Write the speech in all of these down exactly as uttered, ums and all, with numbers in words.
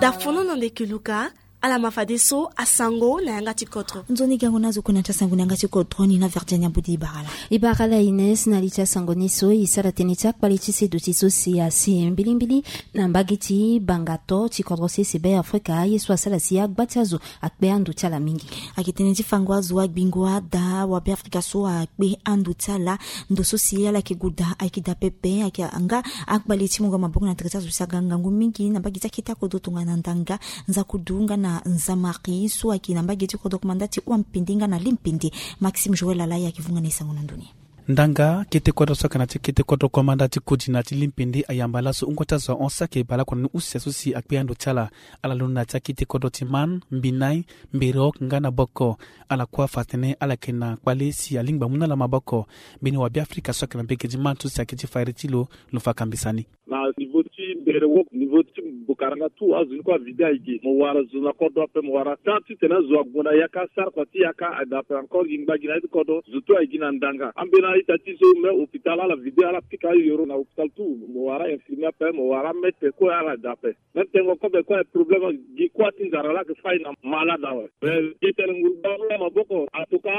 Dafono na ndeke luka. Ala ma fadeso asango na yanga ti kodro. Nzoni gango na azo kue na ti asango na yanga ti kodro ni na Virginia Budi Ibarala. Ibarala Ines, na li ti asango ni so e sara tënë ti akpale ti seduti so si asi mbilimbili na mbage ti bangato ti kodro sese Be Afrika, ye so asara si agba ti azo akpe ando ti ala mingi. Ayeke tënë ti fango azo, agbingo, ada wa Be Afrika so akpe ando ti ala. Ndo so si ala yeke gue daa ayeke daa pepe, ayeke nga akpale ti mungo maboko na tere ti azo si aga ngangu mingi na mbage ti akete akodro tongana Ndanga, Nzakudu nga na Nzamari so ayeke na mbage ti kodro komanda ti Wampende nga na Limpende. Maxime Joël Alaya ayeke vunga na e sango na ndoni. Ndanga, kete kodro so ayeke na ti kete kodro komanda ti Kodi na ti Limpende ayamba laso wungo ti azo ahon saki baleoko na ni use so si akpe ando ti ala. Ala londo na ya ti akete kodro ti Man, Mbinai, Mbirok nga na Boko. Ala kue afa atene ala yeke na kpale si alingbi amu na ala maboko. Mbeni wa Be Afrika so ayeke na mbage ti Man so si ayeke ti fairi ti lo, lo fa kambisa ni. Na niveau ti Mbirok, niveau ti Bokaranga, tout azo ni kue avide aye gi. Mo wara zo na kodro ape, mo wara temps titene azo ague na yaka, sara kua ti yaka, aye daa ape encore gi ngba gi na ya ti kodro, zo tout aye gi na Ndanga. Ambeni a-ita ti so même hôpital ala vide, ala pika ayoro na hôpital tout. Mo wara infirmier ape, mo wara maître kue, ala daa ape. Même tengo kobe kue problème, gi kua ti nzara laa ayeke fâ e na malade awe. Mais gi tene nguru baa maboko. En tout cas,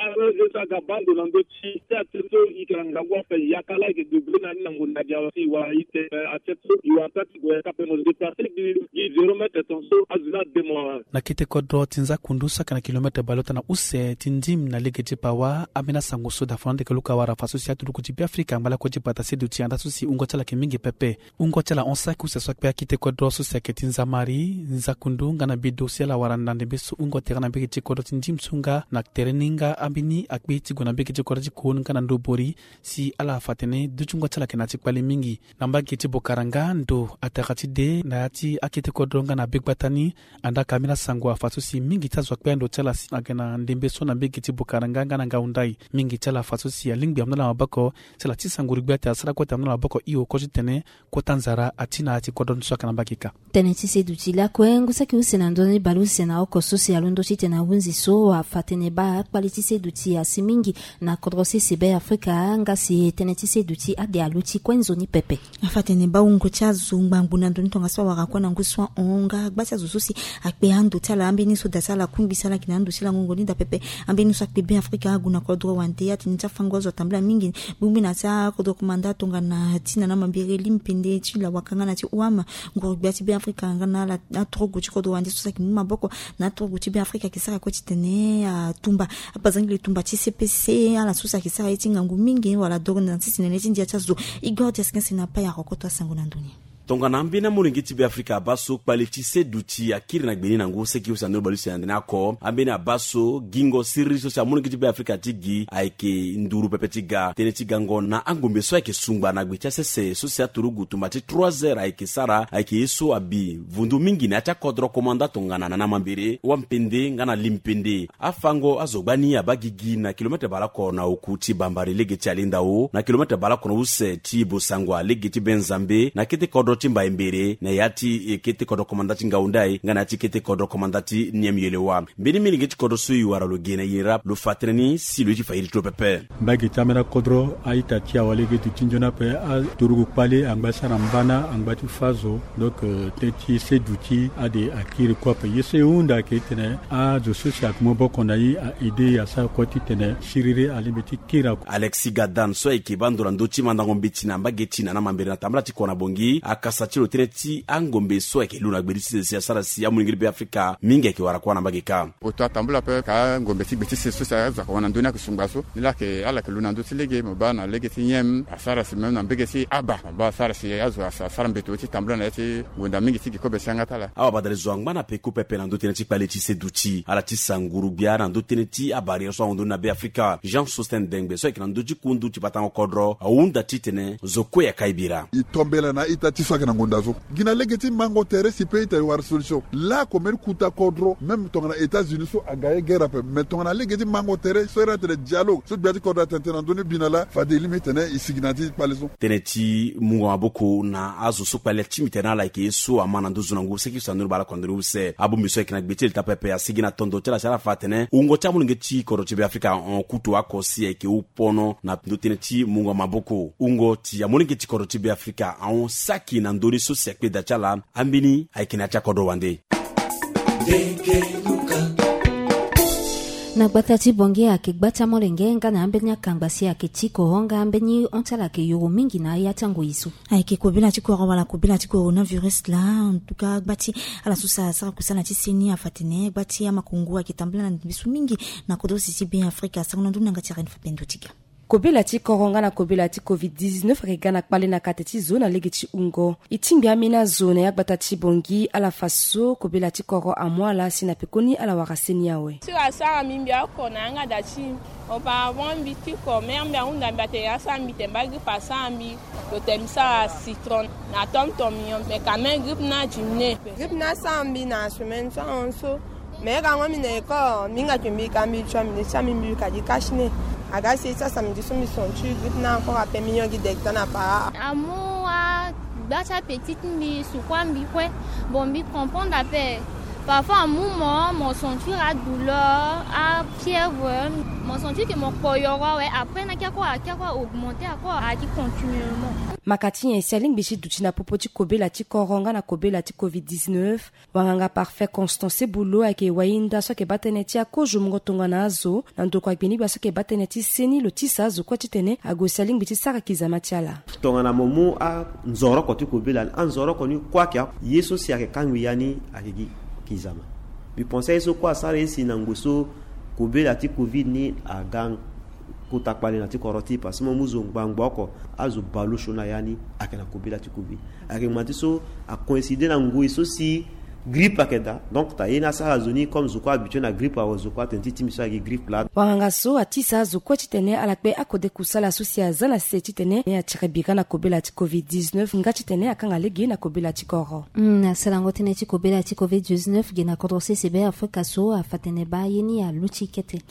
azo so aga baa ndo na ndö ti ti atie so e yeke na ngangu ape, yaka laa e yeke débrouiller na ni na ngonda gi awe si e wara e te. Mais atie so e wara taa ti gue yaka ape, mo déplacer gi, gi zéro mètre tongaso azo ni ade mo awe. Na kete kodro ti Nzakundu so ayeke na kilomètre baleota na use ti Ndim na lege ti Pawa, ambeni asango so Dafono Ndeke Luka awara fa so si aturuku ti Be Afrika angba lakue ti bata seduti anda so si wungo ti ala ayeke mingi pepe. Wungo ti ala hon saki use so akpe akete kodro so si ayeke ti Nzamari, Nzakundu nga na Bedo si ala wara na ndembe so wungo tere na mbage ti kodro ti Ndim so nga na tere ni nga ambeni akpe ti gue na mbage ti kodro ti Koun nga na Ndobori si ala fa atene duti wungo ti ala ayeke na ya ti kpale mingi. Na mbage ti Bokaranga, ndo atara ti de na ya ti akete kodro nga na begbata ni. Andaa ka ambeni asango afa so si mingi ti azo akpe ando ti ala si aga na ndembe so na mbage ti Bokaranga nga na Ngaundai. Mingi ti ala afa so si alingbi amu na ala maboko si ala tisa nguru gbia ti asara kue ti amu na ala maboko hio kue titene kota nzara ati na ya ti kodro ni so ayeke na mbage kâ. Tënë ti seduti lakue ngu saki use na ndoni baleuse na oko so si alondo titene ahunzi so afa atene baa akpale ti seduti asi mingi na kodro sese Be Afrika, nga si tënë ti seduti ade aluti kue nzoni pepe. Afa atene baa wungo ti azo ngbangbo na ndo ni tongaso awara kue na ngu so ahon nga agba ti azo so si akpe ando ti ala, ambeni so da ti ala akungbi si ala yeke na ando ti lango ngoni daa pepe. Ambeni so akpe Be Afrika ague na kodro wande atene ti afango azo atambula mingi. Bongbi na ya ti akodro komanda tongana ti na na mambere Limpende ti Lawaka nga na ti Ouam. Nguru gbia ti Be Afrika nga na ala aturugu ti kodro wande so si ayeke mu maboko na aturugu ti Be Afrika ayeke sara kue titene atumba apazangili tumba ti C P C, ala so si ayeke sara ye ti ngangu mingi wala doro na sisi nene ti ndia ti azo. Igor Diaskense na Paya Rokoto asango na ndo ni. Tongana ambeni amolenge ti Be Afrika abaa so kpale ti seduti akiri na gbe ni na ngu seki use na ndoni baleuse na ndeni oko. Ambeni abaa so gingo siriri so si amolenge ti Be Afrika ti gi ayeke nduru pepe ti ga. Tënë ti gango na angombe so ayeke sungba na gbe ti asese so si aturugu tumba ti trois heures ayeke sara ayeke ye so abi vundu mingi na ya ti akodro komanda tongana na na mambere, Wampende nga na Limpende. Afango azo gbani abaa gigi na kilomètre baleoko na oku ti Bambari lege ti Alindao, na kilomètre baleoko na use ti Bosangwa lege ti Benzambe, na kete kodro ti Mbaembere, na ya ti, eh, kete kodro komanda ti Ngaundai, nga na ya ti kete kodro komanda ti Niamyelewa. Mbeni milenge ti kodro so e wara lo ge na iri ni laa, lo fa tënë ni si lo ye ti fa iri ti lo pepe. Mbage ti ambeni akodro, a-ita ti awalege duti nzoni ape, aturugu kpale angba ti sara mbana, angba ti fâ zo. Donc, euh, tënë ti seduti ade akiri kue ape. Ye so e hunda ayeke titene azo so si ayeke mu maboko na e a-aider e asara kue titene siriri alingbi ti kiri. Alexis Gadan so ayeke baa ndo na ndö ti mandango mbeti na mbage ti na na mambere na tambala ti kua na Bangui, akasa ti lo tënë ti angombe so ayeke lu na gbe ti sese si asara si amolenge ti Be Afrika mingi ayeke wara kua na mbage kâ. Poto atambula ape ka ngombe ti gbe ti sese so si azo ayeke wara na ndö ni ayeke sungba so. Ni laa ayeke ala yeke lu na ndö ti lege, mo baa na lege ti Niem asara si même na mbage ti Aba, mo baa asara si azo asa asara mbeto ti tambula na ya ti ngonda mingi ti gi kobe si yanga ti ala. Awabadale zo angba na peko pepe na ndö tënë ti kpale ti seduti. Ala ti sa nguru gbia na ndö tënë ti abarrière so ahon ndo ni na Be Afrika. Jean Sosten Dengbe so ayeke na ndö ti kundu ti batango kodro ahunda titene zo kue ayaka e bira. E tombela na a-ita ti so ayeke na ngonda so. Gi na lege ti mango tere si peut ita e wara solution. Lako mbeni kuta kodro, même tongana États-Unis so aga ye guerre ape, mais tongana lege ti mango tere so iri atene dialogue so gbia ti kodro atene tene na ndö ni bina laa, fade e lingbi tene e sigi na ya ti kpale so. Tënë ti mungo maboko na azo so kpale ti mbi tene na ala ayeke ye so ama na ndö zo na ngu seki use na ndö ni baleoko na ndö ni use. Abongbi so ayeke na gbe ti leta pepe asigi na tondo ti ala si ala fa atene wungo ti amolenge ti kodro ti Be Afrika ahon kutu oko si ayeke hon pono na ndö tënë ti mungo maboko. Wungo ti amolenge ti kodro ti Be Afrika ahon saki na ndoni so si akpe da ti ala. Ambeni ayeke na ya ti akodro wande. Na gbata ti Bangui ayeke gba ti amolenge nga na ambeni akangba si ayeke ti koro nga ambeni hon ti ala ayeke yoro mingi na ya ti angoi so. Ayeke kobela ti koro wala kobela ti coronavirus laa. En tout cas gba ti ala so si asara kusala ti seni afa tene gba ti amakongo ayeke tambula na ndembe so mingi na kodro si ti Be Afrika. Sango na ndoni na yanga ti Reine Fapendo Tiga. Kobela ti koro nga na kobela ti covid dix-neuf ayeke ga na kpale na kate ti zo na lege ti hungo. E tingbi ambeni azo na ya gbata ti Bangui ala fa so kobela ti koro amu ala si na pekoni ala wara seni awe. Ti asara mbi mbi oko na yanga da ti mbi. Auparavant mbi ti ko mère mbi ahunda mbi atene asara mbi tene baa grippe asara mbi. Lo tene mbi sara citron na tonton mignon mais quand même grippe ni adiminué. Grippe ni asara mbi na semaine so ahon so. Mais gango mbi na école mbi hinga ke mbi ka mbi tua mbi ne ti ambi mbi ka di cache nez. Aga si ti asa mbi di so mbi senti grippe na encore ape mignon gi degta na para. Amu agba ti apetit mbi sukua mbi kue. Bon mbi comprendre ape. Parfois amu mo mo sentir adouleur afièvre. Mo sentir ke mo kpo yoro awe après na kia kue akia kue augmenter akue aki continuellement. Maka ti nyen si alingbi ti duti na popo ti kobela ti koro nga na kobela ti covid dix-neuf? Wanganga Parfait Constance Boulo ayeke wainda so ayeke baa tënë ti akozo mungo tongana azo na ndokua gbinigbia so ayeke baa tënë ti seni lo tisa azo kue titene ague si alingbi ti sara kizama ti ala. Tongana mo mu anzoroko ti kobela ni anzoroko ni kue ayeke ye so si ayeke kangbi ya ni ayeke gi kizama. Mbi pense aye so kue asara ye si na ngoi so kobela ti covid ni aga kota kpale na ti koro ti e parce que mo mu zo ngbangbo oko azo baleosio na ya ni ayeke na kobela ti covid. Ayeke ngba ti so acoïncide na ngoi so si grippe ayeke daa donc ta ye ni asara zo ni comme zo kue habitué na grippe awe zo kue atene ti ti mbi so ayeke grippe laa. Wanganga so atisa azo kue titene ala kpe akode kusala so si aza na se titene atiri bira na kobela ti covid dix-neuf nga titene akanga lege na kobela ti koro. Na sarango tënë ti kobela ti covid dix-neuf ge na kodro sese Be Afrika so afa tene baa ye ni aluti kete.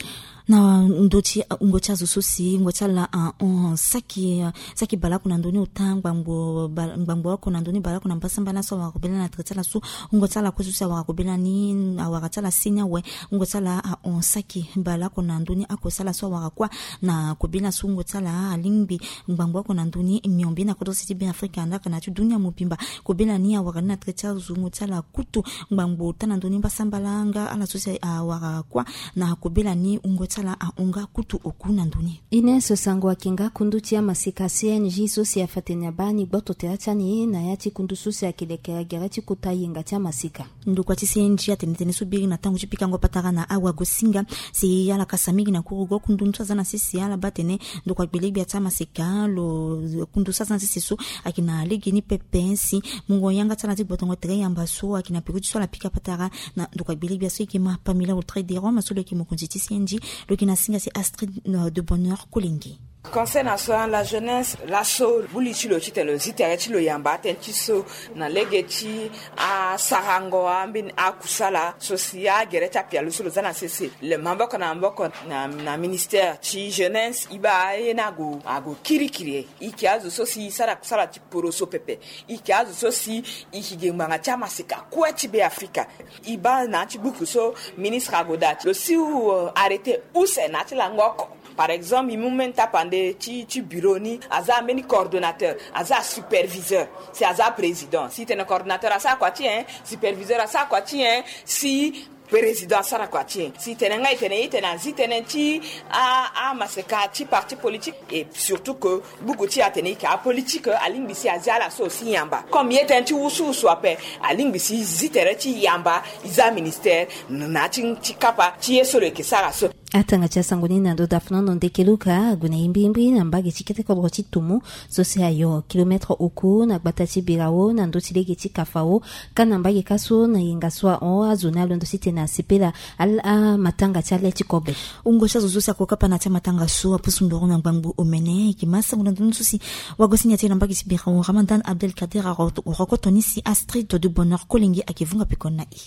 Na ndö ti wungo ti azo so si wungo ti ala ahon saki saki baleoko na ndö ni ota ngbangbo oko na ndö ni baleoko na mbasambala so awara kobela na tere ti ala so wungo ti ala kue so si awara kobela ni awara ti ala seni awe. Wungo ti ala ahon saki baleoko na ndö ni oko so ala so awara kuâ na kobela so wungo ti ala alingbi ngbangbo oko na ndö ni miombe na kodro sese ti Be Afrika ndaka na ti dunia mobimba. Kobela ni awara ni na tere ti azo wungo ti ala kutu ngbangbo ota na ndö ni mbasambala nga ala so si awara kuâ na kobela ni wungo ti ala ahon nga kutu oku na ndö ni. Ines Sango ayeke nga kundu ti amaseka C N J so si afa tene abaa ni gboto tere ti ani na ya ti kundu so si ayeke lekere gere ti kota yenga ti amaseka. Ndokua ti C N J atene tënë so biri na tango ti pikango patara na awagosinga si ala kasa mingi na kurugo kundu so aza na sese ala baa tene ndokua gbelegbia ti amaseka lo kundu so aza na sese so ayeke na lege ni pepe si mungo yanga ti ala ti gbotongo tere yamba so ayeke na peko ti so ala pika patara na ndokua gbelegbia so ayeke ma Pamela Audrey Derome so lo yeke mokonzi ti C N J. Lo yeke na singa si Astrid de Bonheur Kolenge. Conseil national la jeunesse laso buli ti lo titene lo zi tere ti lo yamba atënë ti so na lege ti asarango ambeni akusala so si agere ti apialo so lo za na sese le maboko na maboko na ministère ti jeunesse e baa aye ni ague ague kirikiri. E yeke azo so si e sara kusala ti poroso pepe. E yeke azo so si e yeke ge ngbanga ti amaseka kue ti Be Afrika. E baa na ya ti buku so ministre ague daa lo si arrêté use na ya ti lango oko. Par exemple e mu mbeni tapande ti ti bureau ni aza mbeni coordonnateur aza superviseur si aza président si tene coordonnateur asara kua ti nyen? Superviseur asara kua ti nyen? Si président asara kua ti nyen? Si tene nga e tene e tene azi tënë ti amaseka ti parti politique. Et surtout que buku ti e atene e yeke apolitique alingbi si azi ala so aussi yamba comme ye tënë ti wusuwusu ape. Alingbi si e zi tere ti yamba e za ministère na ya ti kapa ti ye so lo yeke sara so. Atanga ti asango ni na ndo dafnono ndeke luka ague na imbirimbi na mbage ti kete kodro ti tumu so si ayo kilometre oku na gbata ti birao na ndö ti lege ti kafao. Ka na mbage ka so na yenga so ahon azo ni alondo titene asepela ala amatanga ti ale ti kobe. Wungo ti azo so si akokapa na ya ti amatanga so apusu ndoro na ngbangbo omene eke ma sango na ndö ni so si wagosinga ti e na mbage ti birao Ramadan Abdelkader arokoto ni si Astrid de Bonheur Kolenge ayeke vunga pekoni na e.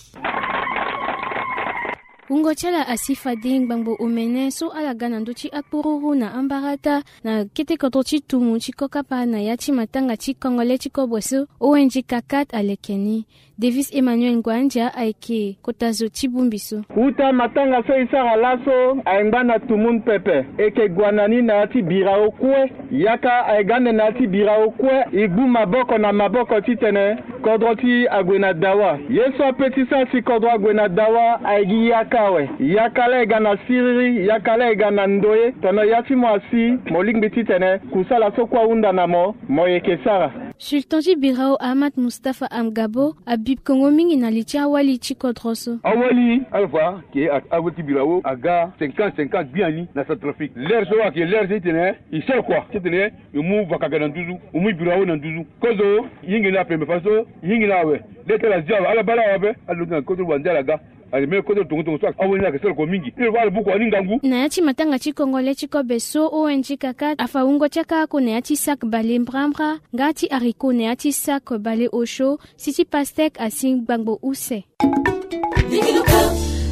Wungo ti ala asi fade ngbangbo omene so ala ga na ndö ti akpururu na ambarata na kete kodro ti tumu ti kokapa na ya ti matanga ti kongole ti kobo so O N G kakat aleke ni. Davis Emmanuel Ngwandia ayeke kota zo ti bongbi so. Uta matanga so e sara laso ayeke ngba na tumu ni pepe. E yeke gue na ni na ya ti birao kue. Yaka ayeke ga ande na ya ti birao kue. E gbu maboko na maboko titene kodro ti e ague na dawa. Ye so ape ti sara si kodro ague na dawa ayeke gi yaka awe. Yaka laa e ga na siriri, yaka laa e ga na ndoye. Tongana ya ti mo asi, mo lingbi titene kusala so kue ahunda na mo, mo yeke sara. Sultan ti birao Ahmad Mustapha Amgabo abi kongo mingi na li ti awali ti kodro so. Awali, ala fa ke a-, awali ti birao aga cinquante cinquante gbiani na Centrafrique. L'heure so ayeke l'heure so titene e sara kua titene e mu vaka aga na nduzu, e mu birao na nduzu. Kozo, e hingi na pembe faso, e hingi na awe. Lê ti ala zia awe, ala baa la awe ape, ala londo na kodro wande ala ga. Ake même kodro tongo tongo so awali ni ayeke sara kua mingi. Ni lo fa ala buku ani ngangu. Na ya ti matanga ti kongole ti kobe so O N G kakat afa wungo ti akaka na ya ti sac bale mbrambra, nga ti haricot na ya ti sac bale osio, si ti pastèque asi ngbangbo use.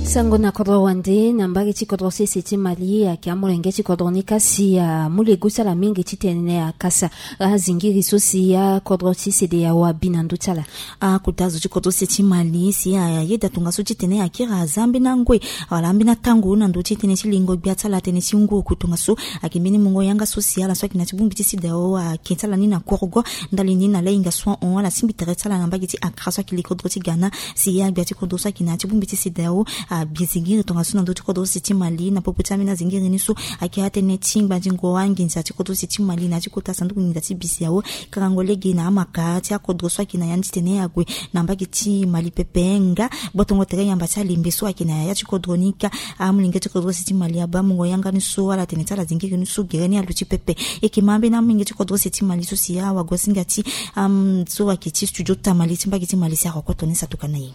Sango na kodro wande na mbage ti kodro sese ti Mali ayeke amolenge ti kodro ni kasi amu lego ti ala mingi titene akasa azingiri so si akodro ti CEDEAO abi na ndö ti ala. Akota zo ti kodro sese ti Mali si ayeda tongaso titene akiri aza ambeni angoi wala ambeni atango na ndö ti tënë ti lingo gbia ti ala tënë ti ngu oku. Tongaso ayeke mbeni mungo yanga so si ala so ayeke na ya ti bongbi ti CEDEAO ake ti ala ni na korogo. Ndali ni na lahinga so ahon ala singbi tere ti ala na mbage ti Accra so ayeke li kodro ti Ghana. Si agbia ti kodro so ayeke na ya ti bongbi ti CEDEAO abi zingiri tongaso na ndö ti kodro sese ti Mali na popo ti ambeni azingiri ni so ayeke atënë ti ngbandingo anginza ti kodro sese ti Mali na ya ti kota sanduku nginza ti BCEAO. Karango lege na amaka ti akodro so ayeke na ya ni titene ague na mbage ti Mali pepe nga gbotongo tere yamba ti alembe so ayeke na ya ti kodro ni ka. Amolenge ti kodro sese ti Mali abaa mungo yanga ni so ala tene ti ala zingiri ni so gere ni aluti pepe. E yeke ma ambeni amolenge ti kodro sese ti Mali so si awagosinga ti am so ayeke ti studio tamali ti mbage ti Mali si aroko toni satuka na ye.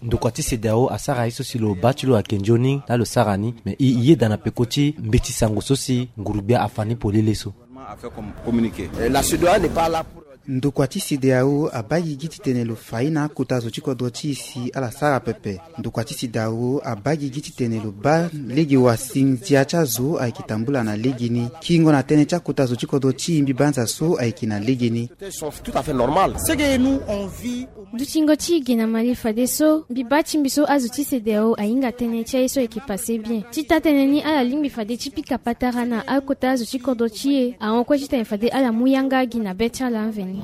Ndokua ti CEDEAO asara ye so si lo baa ti lo ayeke nzoni laa lo sara ni. Me e yeda na peko ti mbeti sango so si nguru-gbia afa ni polele so. Ndokua ti CEDEAO abaa gigi titene lo fa ye na akota zo ti kodro ti e si ala sara pepe. Ndokua ti CEDEAO abaa gigi titene lo baa lege wa si ndia ti azo ayeke tambula na legeni. Kiringo na tënë ti akota zo ti kodro ti e mbi banza so ayeke na legeni. Dutingo ti e ge na Mali fadeso mbi baa ti mbi so azo ti CEDEAO ahinga tënë ti aye so ayeke pase bien. Ti taa tënë ni ala lingbi fade ti pika patara na akota azo ti kodro ti e ahon kue titene fade ala mu yanga gi na be ti ala mveni.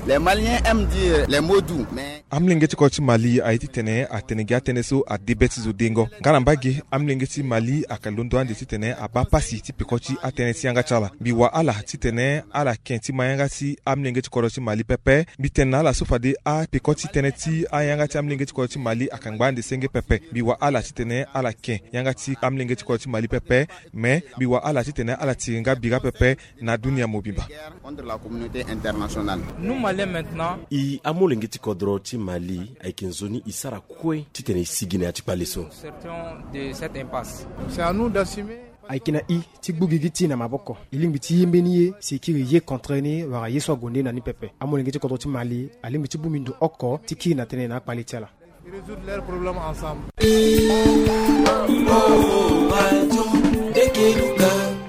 Les Maliens aiment dire les mots doux, mais amolenge ti kodro ti Mali aye titene atene gi atënë so ade be ti zo dengo. Nga na mbage amolenge ti Mali ayeke londo ande titene abaa pasi ti peko ti atënë ti yanga ti ala. Mbi wa ala titene ala ken ti ma yanga ti amolenge ti kodro ti Mali pepe. Mbi tene na ala so fade apeko ti tënë ti ayanga ti amolenge ti kodro ti Mali ayeke ngba ande senge pepe. Mbi wa ala titene ala ken yanga ti amolenge ti kodro ti Mali pepe. Me mbi wa ala titene ala tiri nga bira pepe na dunia mobimba. Contre la communauté internationale. Nous Maliens maintenant. E amolenge ti kodro ti Mali ayeke nzoni e sara kue titene e sigi na ya ti kpale so. Sortons de cette impasse. C'est à nous d'assumer. Ayeke na e ti gbu gigi ti e na maboko. E lingbi ti ye mbeni ye si e kiri ye contre ni wala ye so ague nde na ni pepe. Amolenge ti kodro ti Mali alingbi ti bongbi ndo oko ti kiri na tënë na akpale ti ala. Résoudre leurs problèmes ensemble.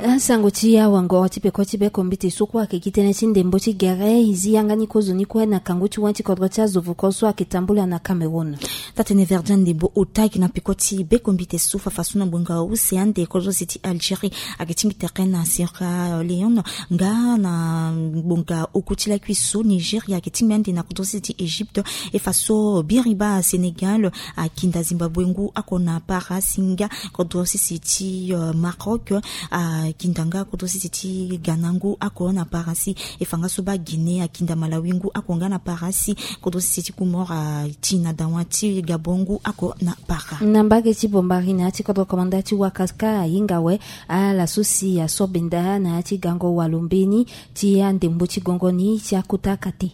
Asango ti awangoro ti peko ti beko mbite so kue ayeke gi tënë ti ndembo ti gere e zi yanga ni kozoni kue na kangu ti wen ti kodro ti azo voko so ayeke tambula na Cameroun. Taa tënë Verdun ndembo ota ayeke na peko ti beko mbite so fafa so na ngbonga use ande kodro sese ti Algérie ayeke tingbi tere na Sierra Leone nga na ngbonga oku ti lakui so Nigeria ayeke tingbi ande na kodro sese ti Égypte. E fa so biriba Sénégal akinda Zimbabwe ngu oko na para si nga kodro sese ti, euh, Maroc akinda nga kodro sese ti Ghana ngu oko na para si. E fa nga so baa Guinée akinda Malawi ngu oko nga na para si. Kodro sese ti Comores ati na dawa ti Gabon ngu oko na para. Na mbage ti Bombari na ya ti kodro komanda ti Wakaka ahinga awe ala so si aso benda na ya ti gango walo mbeni ti andembo ti gongo ni ti akota kate.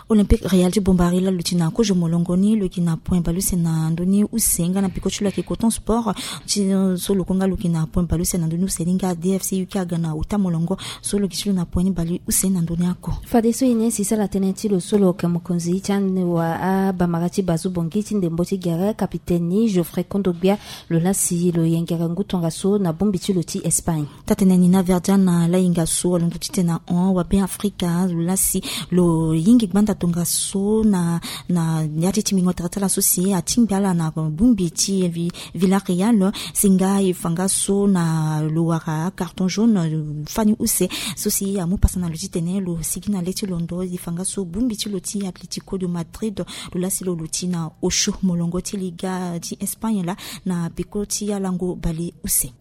Olympique Real ti Bombari laa lo ti na kozo molongo ni lo yeke na point baleuse na ndö ni use nga na peko ti lo ayeke Coton Sport ti so lo kue nga lo yeke na point baleuse na ndö ni use ni nga D F C U K aga na ota molongo so lo yeke ti lo na point ni baleuse na ndö ni ako. Fadeso e ni si sala tënë ti lo so lo yeke mokonzi ti ande wa abamara ti Bazu Bongi ti ndembo ti gere capitaine ni Geoffrey Kondogbia lo lasi lo yengere ngu tongaso na bongbi ti lo ti Espagne. Taa-tënë ni na Verdiana la hinga so alondo ti tene na hon wa Be Afrika lo lasi lo yingi gbanda tongaso na na ya ti timbingo tere ti ala so si atingbi ala na bongbi ti Villarreal si nga e fa nga so na lo wara carton jaune fani use so si amu pasa na lo ti tene lo sigi na le ti londo e fa nga so bongbi ti lo ti Atlético de Madrid lo lasi lo lo ti na osio molongo ti liga ti Espagne laa na peko ti alango baleuse.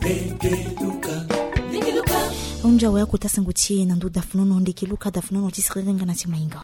Ahunzi awe akota sango ti e na ndö dafunono ndeke luka dafunono ti siriri nga na ti maingo.